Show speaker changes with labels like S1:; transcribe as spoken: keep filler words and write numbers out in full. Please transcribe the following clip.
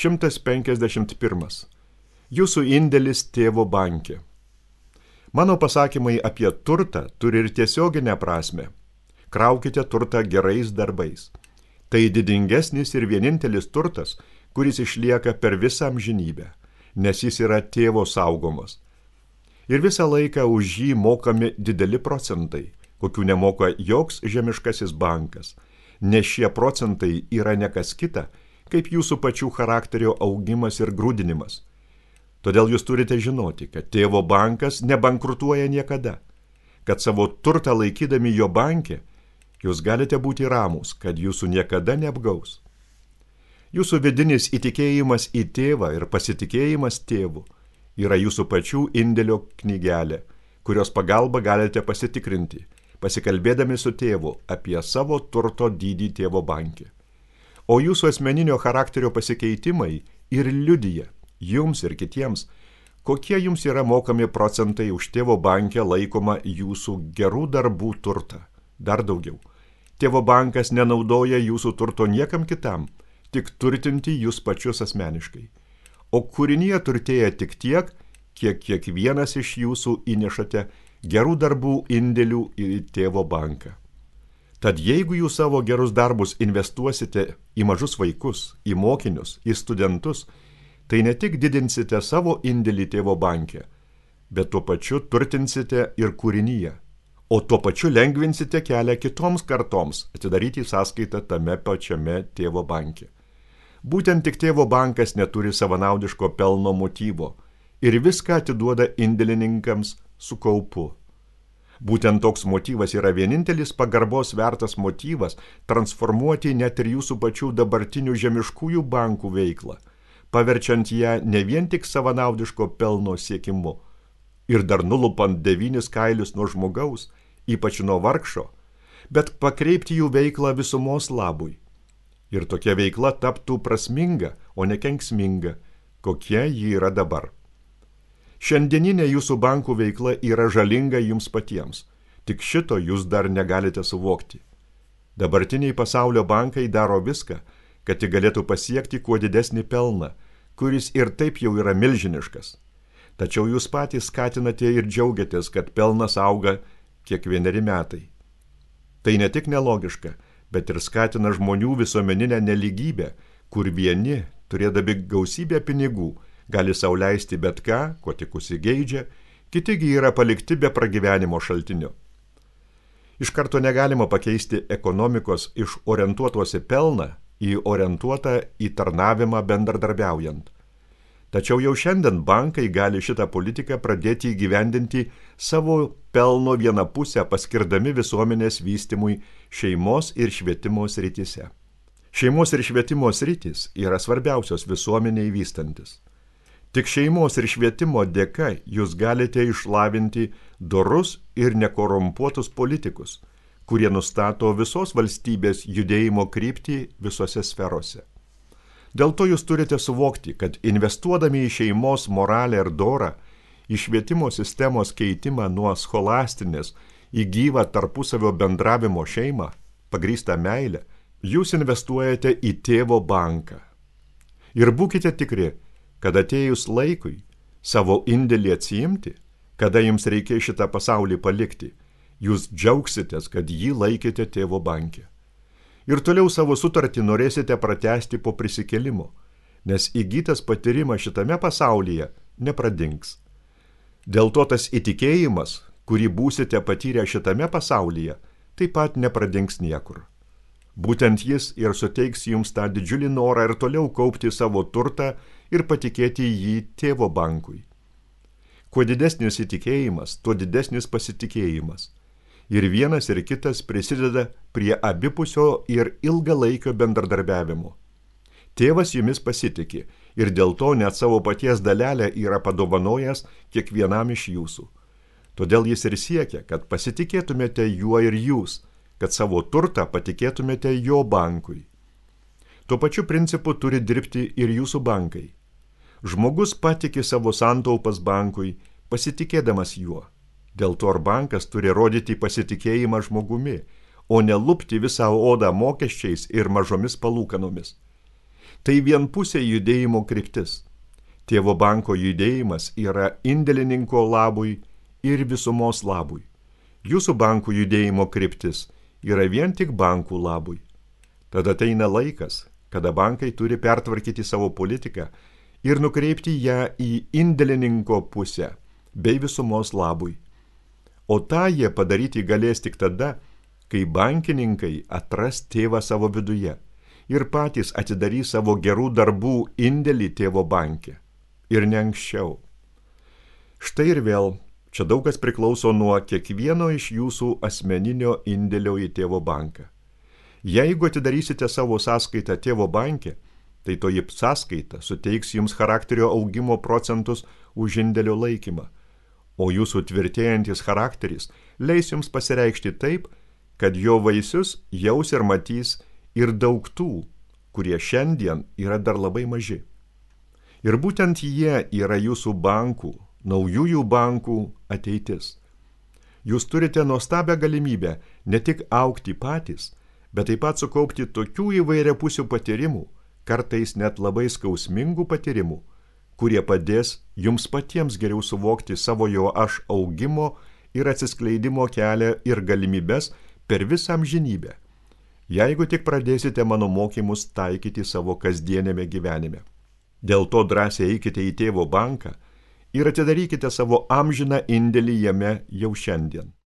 S1: šimtas penkiasdešimt pirmas. Jūsų indėlis tėvo banke. Mano pasakymai apie turtą turi ir tiesioginę prasme. Kraukite turtą gerais darbais. Tai didingesnis ir vienintelis turtas, kuris išlieka per visą amžinybę, nes jis yra tėvo saugomas. Ir visą laiką už jį mokami dideli procentai, kokių nemoka joks žemiškasis bankas, nes šie procentai yra nekas kita, kaip jūsų pačių charakterio augimas ir grūdinimas. Todėl jūs turite žinoti, kad tėvo bankas nebankrutuoja niekada, kad savo turtą laikydami jo banke, jūs galite būti ramūs, kad jūsų niekada neapgaus. Jūsų vidinis įtikėjimas į tėvą ir pasitikėjimas tėvu yra jūsų pačių indėlio knygelė, kurios pagalba galite pasitikrinti, pasikalbėdami su tėvu apie savo turto dydį tėvo banke. O jūsų asmeninio charakterio pasikeitimai ir liudija jums ir kitiems, kokie jums yra mokami procentai už tėvo banke laikoma jūsų gerų darbų turtą. Dar daugiau. Tėvo bankas nenaudoja jūsų turto niekam kitam, tik turtinti jūs pačius asmeniškai. O kūrinyje turtėja tik tiek, kiek kiekvienas iš jūsų įnešate gerų darbų indėlių į tėvo banką. Tad jeigu jūs savo gerus darbus investuosite į mažus vaikus, į mokinius, į studentus, tai ne tik didinsite savo indėlį tėvo banke, bet tuo pačiu turtinsite ir kūrinyje, o tuo pačiu lengvinsite kelią kitoms kartoms atidaryti sąskaitą tame pačiame tėvo banke. Būtent tik tėvo bankas neturi savanaudiško pelno motyvo ir viską atiduoda indėlininkams su kaupu. Būtent toks motyvas yra vienintelis pagarbos vertas motyvas transformuoti net ir jūsų pačių dabartinių žemiškųjų bankų veiklą, paverčiant ją ne vien tik savanaudiško pelno siekimu ir dar nulupant devynis kailius nuo žmogaus, ypač nuo vargšo, bet pakreipti jų veiklą visumos labui. Ir tokia veikla taptų prasminga, o ne kenksminga, kokia ji yra dabar. Šiandieninė jūsų bankų veikla yra žalinga jums patiems, tik šito jūs dar negalite suvokti. Dabartiniai pasaulio bankai daro viską, kad tik galėtų pasiekti kuo didesnį pelną, kuris ir taip jau yra milžiniškas. Tačiau jūs patys skatinate ir džiaugiatės, kad pelnas auga kiekvieneri metai. Tai ne tik nelogiška, bet ir skatina žmonių visuomeninę nelygybę, kur vieni, turėdami gausybę pinigų, gali sau leisti bet ką, ko tik užsigeidžia, kitigi yra palikti be pragyvenimo šaltinio. Iš karto negalima pakeisti ekonomikos iš orientuotos į pelną į orientuotą į tarnavimą bendradarbiaujant. Tačiau jau šiandien bankai gali šitą politiką pradėti įgyvendinti savo pelno vieną pusę paskirdami visuomenės vystymui šeimos ir švietimo srityse. Šeimos ir švietimo sritys yra svarbiausios visuomeniai vystantis. Tik šeimos ir švietimo dėka jūs galite išlavinti dorus ir nekorumpuotus politikus, kurie nustato visos valstybės judėjimo kryptį visose sferose. Dėl to jūs turite suvokti, kad investuodami į šeimos moralę ir dorą, į švietimo sistemos keitimą nuo scholastinės į gyvą tarpusavio bendravimo šeimą, pagrįstą meilę, jūs investuojate į tėvo banką. Ir būkite tikri, kad atėjus laikui savo indėlį atsiimti, kada jums reikės šitą pasaulį palikti, jūs džiaugsitės, kad jį laikėte tėvo banke. Ir toliau savo sutartį norėsite pratęsti po prisikėlimo, nes įgytas patyrimas šitame pasaulyje nepradings. Dėl to tas įtikėjimas, kurį būsite patyrę šitame pasaulyje, taip pat nepradings niekur. Būtent jis ir suteiks jums tą didžiulį norą ir toliau kaupti savo turtą ir patikėti jį tėvo bankui. Kuo didesnis įtikėjimas, tuo didesnis pasitikėjimas. Ir vienas ir kitas prisideda prie abipusio ir ilgalaikio bendradarbiavimo. Tėvas jumis pasitiki ir dėl to net savo paties dalelę yra padovanojęs kiekvienam iš jūsų. Todėl jis ir siekia, kad pasitikėtumėte juo ir jūs, kad savo turtą patikėtumėte jo bankui. Tuo pačiu principu turi dirbti ir jūsų bankai. Žmogus patiki savo santaupas bankui, pasitikėdamas juo. Dėl to ir bankas turi rodyti pasitikėjimą žmogumi, o ne lupti visą odą mokesčiais ir mažomis palūkanomis. Tai vienpusė judėjimo kryptis. Tėvo banko judėjimas yra indėlininko labui ir visumos labui. Jūsų bankų judėjimo kryptis yra vien tik bankų labui. Tada ateina laikas, kada bankai turi pertvarkyti savo politiką ir nukreipti ją į indėlininko pusę bei visumos labui. O tą jie padaryti galės tik tada, kai bankininkai atras tėvą savo viduje ir patys atidarys savo gerų darbų indėlį tėvo banke. Ir ne anksčiau. Štai ir vėl, čia daug kas priklauso nuo kiekvieno iš jūsų asmeninio indėlio į tėvo banką. Jeigu atidarysite savo sąskaitą tėvo banke, tai toji sąskaita suteiks jums charakterio augimo procentus už indėlio laikymą, o jūsų tvirtėjantis charakteris leis jums pasireikšti taip, kad jo vaisius jaus ir matys ir daug tų, kurie šiandien yra dar labai maži. Ir būtent jie yra jūsų bankų, naujųjų bankų ateitis. Jūs turite nuostabią galimybę ne tik augti patys, bet taip pat sukaupti tokių įvairiapusių patyrimų, kartais net labai skausmingų patyrimų, kurie padės jums patiems geriau suvokti savo jo aš augimo ir atsiskleidimo kelią ir galimybes per visą amžinybę, jeigu tik pradėsite mano mokymus taikyti savo kasdienėme gyvenime. Dėl to drąsiai eikite į tėvo banką ir atidarykite savo amžiną indėlį jame jau šiandien.